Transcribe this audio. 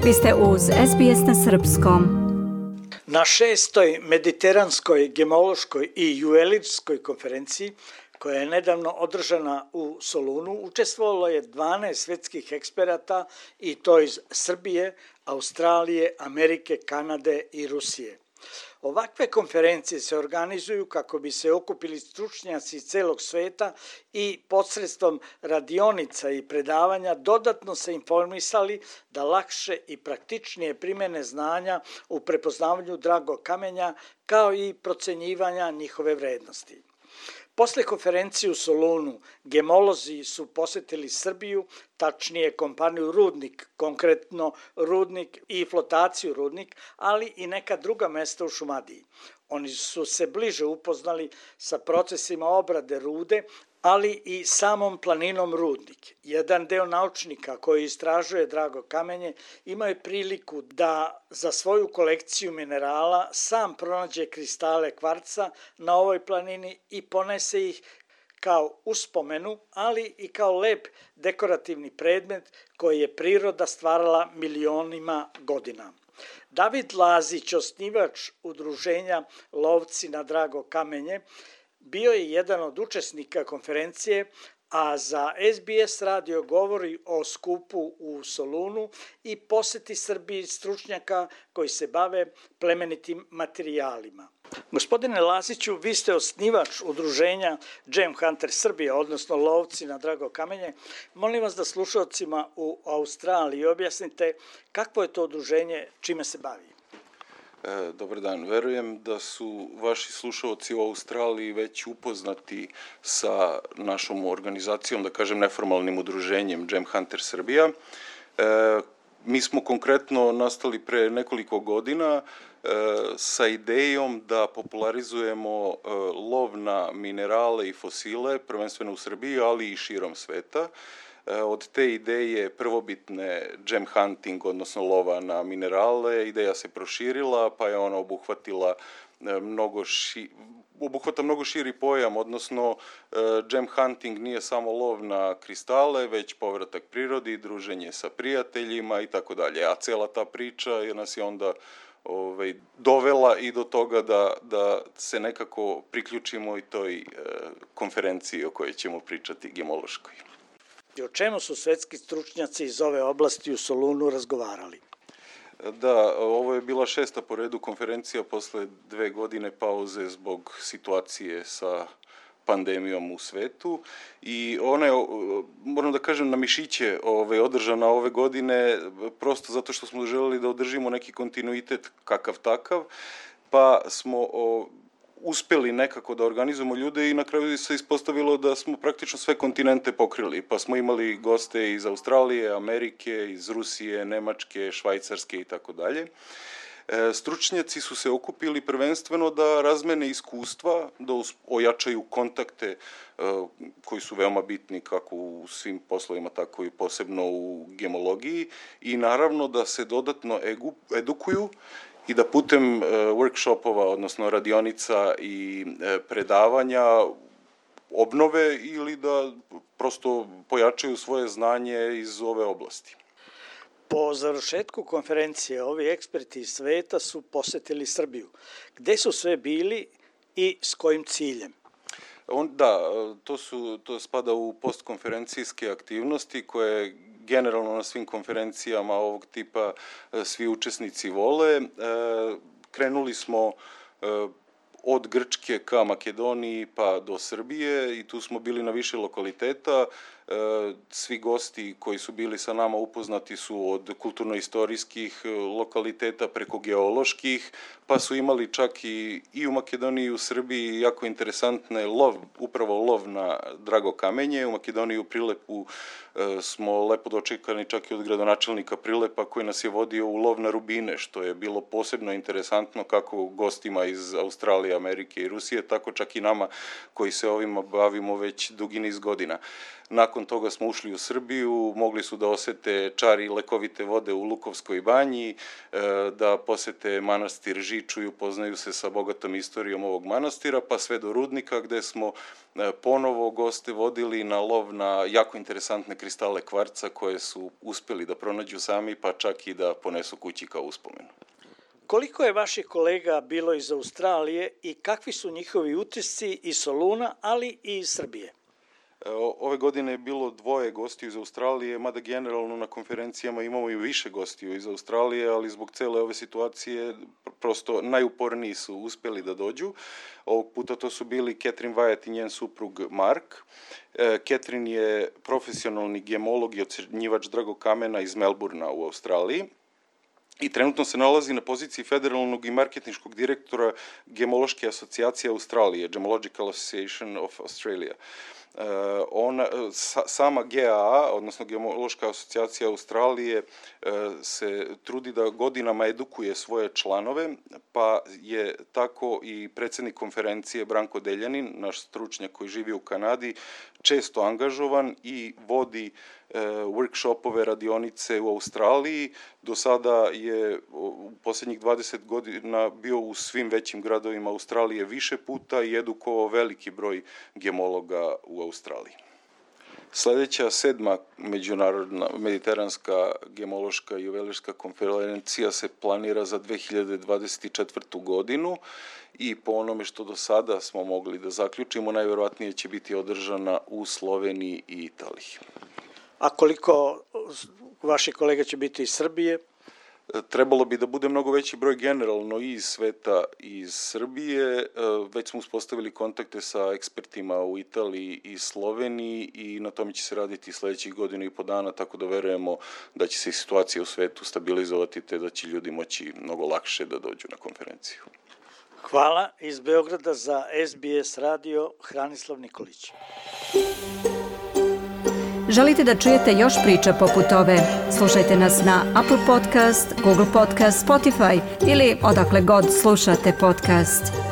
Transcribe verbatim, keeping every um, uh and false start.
Vi ste uz S B S na srpskom. Na šestoj mediteranskoj gemološkoj i juvelirskoj konferenciji, koja je nedavno održana u Solunu, učestvovalo je dvanaest svetskih eksperata i to iz Srbije, Australije, Amerike, Kanade i Rusije. Ovakve konferencije se organizuju kako bi se okupili stručnjaci iz celog sveta i posredstvom radionica i predavanja dodatno se informisali da lakše i praktičnije primene znanja u prepoznavanju dragog kamenja kao i procenjivanja njihove vrednosti. Posle konferencije u Solunu, gemolozi su posetili Srbiju, tačnije kompaniju Rudnik, konkretno Rudnik i flotaciju Rudnik, ali i neka druga mesta u Šumadiji. Oni su se bliže upoznali sa procesima obrade rude, ali i samom planinom Rudnik. Jedan deo naučnika koji istražuje drago kamenje imao je priliku da za svoju kolekciju minerala sam pronađe kristale kvarca na ovoj planini i ponese ih kao uspomenu, ali i kao lep dekorativni predmet koji je priroda stvarala milionima godina. David Lazić, osnivač udruženja Lovci na drago kamenje, bio je jedan od učesnika konferencije, a za S B S radio govori o skupu u Solunu i poseti Srbiji stručnjaka koji se bave plemenitim materijalima. Gospodine Laziću, vi ste osnivač udruženja Gem Hunter Srbija, odnosno Lovci na drago kamenje. Molim vas da slušalcima u Australiji objasnite kakvo je to udruženje, čime se bavi. E, dobar dan, verujem da su vaši slušalci u Australiji već upoznati sa našom organizacijom, da kažem neformalnim udruženjem Gem Hunter Srbija. E, mi smo konkretno nastali pre nekoliko godina e, sa idejom da popularizujemo e, lov na minerale i fosile, prvenstveno u Srbiji, ali i širom sveta. Od te ideje prvobitne gem hunting, odnosno lova na minerale, ideja se proširila, pa je ona obuhvatila mnogo ši, obuhvata mnogo širi pojam, odnosno gem hunting nije samo lov na kristale, već povratak prirodi, druženje sa prijateljima i tako dalje. A cela ta priča nas je onda ovaj, dovela i do toga da, da se nekako priključimo i toj e, konferenciji o kojoj ćemo pričati, gemološkoj. I o čemu su svetski stručnjaci iz ove oblasti u Solunu razgovarali? Da, ovo je bila šesta po redu konferencija posle dve godine pauze zbog situacije sa pandemijom u svetu i ona je, moram da kažem, na mišiće ove, održana ove godine prosto zato što smo želeli da održimo neki kontinuitet kakav takav, pa smo o, uspeli nekako da organizujemo ljude i na kraju se ispostavilo da smo praktično sve kontinente pokrili, pa smo imali goste iz Australije, Amerike, iz Rusije, Nemačke, Švajcarske i tako dalje. Stručnjaci su se okupili prvenstveno da razmene iskustva, da ojačaju kontakte koji su veoma bitni kako u svim poslovima, tako i posebno u gemologiji i naravno da se dodatno edukuju i da putem uh, workshopova, odnosno radionica i uh, predavanja obnove ili da prosto pojačaju svoje znanje iz ove oblasti. Po završetku konferencije, ovi eksperti iz sveta su posetili Srbiju. Gde su sve bili i s kojim ciljem? On, da, to, su, to spada u postkonferencijske aktivnosti koje generalno na svim konferencijama ovog tipa svi učesnici vole. Krenuli smo od Grčke ka Makedoniji pa do Srbije i tu smo bili na više lokaliteta. Svi gosti koji su bili sa nama upoznati su od kulturno-istorijskih lokaliteta preko geoloških, pa su imali čak i, i u Makedoniji i u Srbiji jako interesantne lov, upravo lov na drago kamenje. U Makedoniji u Prilepu smo lepo dočekani čak i od gradonačelnika Prilepa koji nas je vodio u lov na rubine, što je bilo posebno interesantno kako gostima iz Australije, Amerike i Rusije, tako čak i nama koji se ovima bavimo već dugi niz godina. Nakon nakon toga smo ušli u Srbiju, mogli su da osete čari lekovite vode u Lukovskoj banji, da posete manastir Žiču i upoznaju se sa bogatom istorijom ovog manastira, pa sve do Rudnika gde smo ponovo goste vodili na lov na jako interesantne kristale kvarca koje su uspeli da pronađu sami, pa čak i da ponesu kući kao uspomenu. Koliko je vaših kolega bilo iz Australije i kakvi su njihovi utisci iz Soluna, ali i iz Srbije? Ove godine je bilo dvoje gostiju iz Australije, mada generalno na konferencijama imamo i više gostiju iz Australije, ali zbog cele ove situacije prosto najuporniji su uspeli da dođu. Ovog puta to su bili Catherine Wyatt i njen suprug Mark. Catherine je profesionalni gemolog i ocenjivač dragokamena iz Melbourna u Australiji i trenutno se nalazi na poziciji federalnog i marketinškog direktora Gemološke asocijacije Australije, Gemological Association of Australia. Uh, ona, sa, sama G A A, odnosno Gemološka asocijacija Australije, uh, se trudi da godinama edukuje svoje članove, pa je tako i predsjednik konferencije Branko Deljanin, naš stručnjak koji živi u Kanadi, često angažovan i vodi uh, workshopove, radionice u Australiji. Do sada je u posljednjih dvadeset godina bio u svim većim gradovima Australije više puta i edukovao veliki broj gemologa u Australiji. Sljedeća sedma međunarodna mediteranska gemološka i juvelirska konferencija se planira za dve hiljade dvadeset četvrtu godinu i po onome što do sada smo mogli da zaključimo, najvjerojatnije će biti održana u Sloveniji i Italiji. A koliko vaših kolega će biti iz Srbije? Trebalo bi da bude mnogo veći broj generalno i iz sveta i iz Srbije. Već smo uspostavili kontakte sa ekspertima u Italiji i Sloveniji i na tome će se raditi sljedećih godina i po dana, tako da verujemo da će se i situacija u svetu stabilizovati te da će ljudi moći mnogo lakše da dođu na konferenciju. Hvala. Iz Beograda za S B S radio Hranislav Nikolić. Želite da čujete još priča poput ove? Slušajte nas na Apple Podcast, Google Podcast, Spotify ili odakle god slušate podcast.